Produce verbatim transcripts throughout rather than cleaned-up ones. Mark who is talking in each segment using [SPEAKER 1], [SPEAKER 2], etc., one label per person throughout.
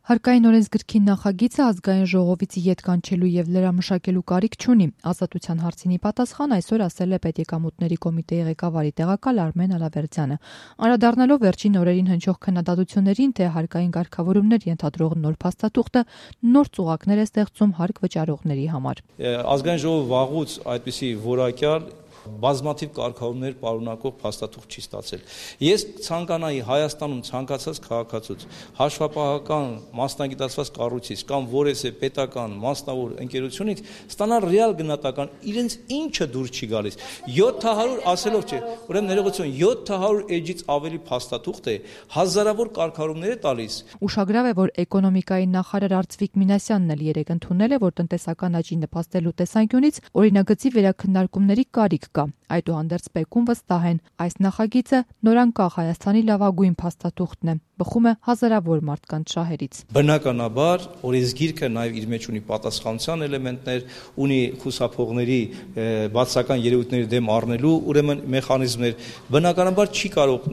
[SPEAKER 1] Հարկային օրենսգրքի նախագիծը ազգային ժողովից ետ կանչելու եւ լրամշակելու կարիք չունի։ Ազատության հարցինի պատասխան այսօր ասել է Պետեկամուտների կոմիտեի ղեկավարի տեղակալ Արմեն Ալավերդյանը։ Անդրադառնալով վերջին օրերին հնչող քննադատություններին, թե հարկային կարգավորումներ ենթադրող նոր փաստաթուղթը նոր ծուղակներ է ստեղծում հարկ վճարողների համար։
[SPEAKER 2] Ազգային ժողովը վաղուց այդպիսի որակյալ բազմաթիվ կարգավորումներ պարունակող փաստաթուղթ չի ստացել։ Ես ցանկանայի Հայաստանում ցանկացած քաղաքացուց, հաշվապահական մասնագիտացված կառույցից կամ որևէ պետական մասնավոր ընկերությունից ստանալ ռեալ գնահատական իրենց ինչը դուր չի գալիս։ յոթ հարյուր ասելով չէ, ուրեմն ներողություն, յոթ հարյուր էջից ավելի փաստաթուղթ է, հազարավոր կարգավորումներ է տալիս։
[SPEAKER 1] Ուշագրավ է, որ էկոնոմիկայի նախարար Արծվիկ Մինասյանն էլ երեկ ընդունել է, որ տնտեսական աճի նպաստելու տեսանկյունից օրինագծի վերաքննարկումների կարիք կա։ Այդուհանդերձ Պեկում վստահ են, այս նախագիծը նորանկախ Հայաստանի լավագույն փաստաթուղթն է, բխում է հազարավոր մարդկանց շահերից։
[SPEAKER 2] Բնականաբար օրենսգիրքը նաև իր մեջ ունի պատասխանության էլեմենտներ, ունի խուսափողների բացական երևույթների դեմ առնելու ուրեմն մեխանիզմներ։ Բնականաբար չի կարող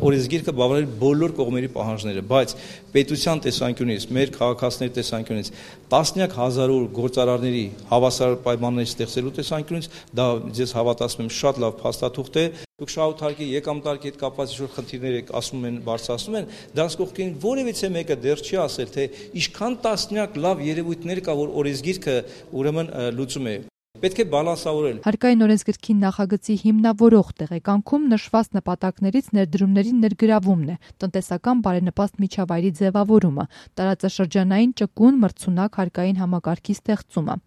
[SPEAKER 2] օրենսգիրքը բավարարել բոլոր կողմերի պահանջները, բայց պետության տեսանկյունից, մեր քաղաքացիների տեսանկյունից, տասնյակ հազարավոր գործարարների հավասար պայմաններ ստեղծելու տեսանկյունից դա ձեզ հավատացնում եմ շատ լավ փաստաթուղթ է։ Դուք շահութարկի եկամտարկի հետ կապված ինչ-որ խնդիրներ եք ասում են, բարձրացնում են, դրանց կողքին որևիցե մեկը դեռ չի ասել, թե ինչքան տասնյակ լավ երևույթներ կա, որ օրենսգիրքը ուրեմն լուծում է։ Պետք է բալանսավորել։
[SPEAKER 1] Հարկային օրենսգրքի նախագծի հիմնավորող տեղեկանքում նշված նպատակներից ներդրումների ներգրավումն է, տնտեսական բարենպաստ միջավայրի ձևավորումը, տարածաշրջանային ճկուն մրցունակ հարկային համակարգի ստեղծումը։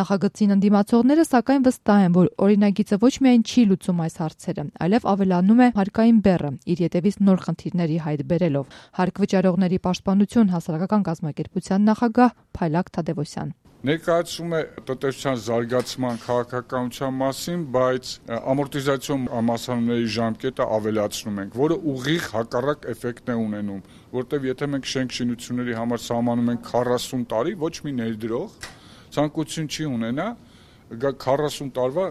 [SPEAKER 1] Նախագծին ընդդիմացողները սակայն վստահ են, որ օրինագիծը ոչ միայն չի լուծում այս հարցերը, այլև ավելանում է հարկային բեռը, իր ետևից նոր խնդիրների հայտ բերելով։ Հարկ վճարողների պաշտպանություն հասարակական կազմակերպության նախագահ Փայլակ Թադևոսյան։
[SPEAKER 3] Ներկայացում է տնտեսության զարգացման քաղաքականության մասին, բայց ամորտիզացիոն համասարումների ժամկետը ավելացնում ենք, որը ուղիղ հակառակ էֆեկտն է ունենում, որտեղ եթե մենք շենք շինությունների համար սահմանում ենք քառասուն տարի, ոչ մի ներդրող ցանկություն չի ունենա քառասուն տարվա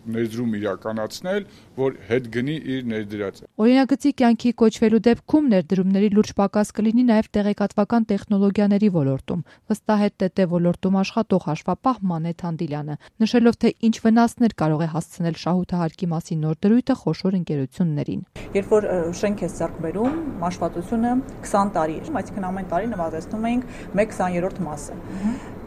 [SPEAKER 3] ներդրում իրականացնել, որ հետ գնի իր ներդրածը։
[SPEAKER 1] Օրինագծի կյանքի կոչվելու դեպքում ներդրումների լուրջ պակաս կլինի նաև տեղեկատվական տեխնոլոգիաների ոլորտում, վստահ է ՏՏ ոլորտում աշխատող հաշվապահ Մանեթ Հանդիլյանը, նշելով, թե ինչ վնասներ կարող է հասցնել շահութահարկի մասին նոր դրույթը խոշոր ընկերություններին։
[SPEAKER 4] Երբ որ շենք է ձեռք բերում, մաշվածությունը քսան տարի է, այսինքն ամեն տարի նվազեցնում ենք մեկ քսաներորդ մասը։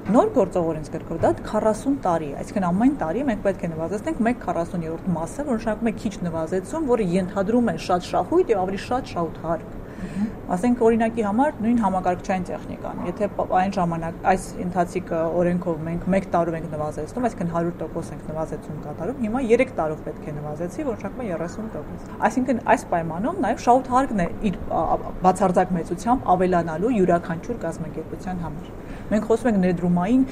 [SPEAKER 4] Նոր գործող օրենսգրքով դա քառասուն տարի է, այսինքն ամեն տարի մենք պետք է նվազեցնենք մեկ քառասուներորդ մասը, որ նշանակում է քիչ նվազեցում, որը ենթադրում է շատ շահույթ եւ ավելի շատ շահութարկ։ Ասենք օրինակի համար նույն համակարգչային տեխնիկան, եթե այն ժամանակ այս ընթացիկ օրենքով մենք մեկ տարով ենք նվազեցնում, այսինքն հարյուր տոկոս ենք նվազեցում կատարում, հիմա երեք տարով պետք է նվազեցի, որ նշանակում է երեսուն տոկոս։ Այսինքն այս պայմանում նաև շահութարկն է իր բացարձակ մեծությամբ ավելանալու յուրաքանչյուր կազմակերպության համար։ Մենք խոսում ենք ներդրումային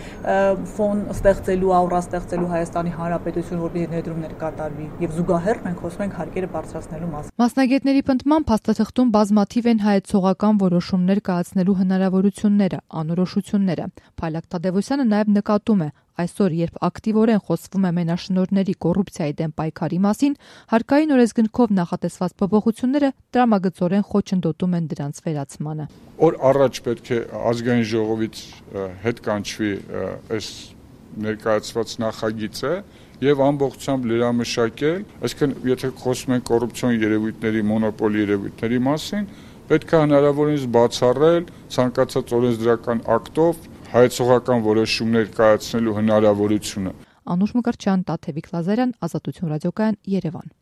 [SPEAKER 4] ֆոն ստեղծելու, աուրա ստեղծելու Հայաստանի Հանրապետություն, որպեսզի ներդրումներ կատարվի, եւ զուգահեռ մենք խոսում ենք հարկերը բարձրացնելու մասին։
[SPEAKER 1] Մասնագետների պնդմամբ փաստաթղթում բազմաթիվ են հայեցողական որոշումներ կայացնելու հնարավորությունները, անորոշությունները։ Փայլակ Թադևոսյանը նաև նկատում է, այսօր, երբ ակտիվորեն խոսվում է մենաշնորհների կոռուպցիայի դեմ պայքարի մասին, հարկային օրենսգրքով նախատեսված փոփոխությունները տրամագծորեն խոչընդոտում են դրանց վերացմանը։
[SPEAKER 3] Օր առաջ պետք է ազգային ժողովից հետ կանչվի այս ներկայացված նախագիծը եւ ամբողջությամբ լրամշակել, այսինքն եթե խոսում ենք կոռուպցիոն երևույթների, մոնոպոլի երևույթների մասին, պետք է հնարավորինս բացառել ցանկացած օրենսդրական ակտով հայեցողական որոշումներ կայացնելու հնարավորությունը։
[SPEAKER 1] Անուշ Մկրտչյան, Տաթևիկ Լազարյան, Ազատություն ռադիոկայան, Երևան։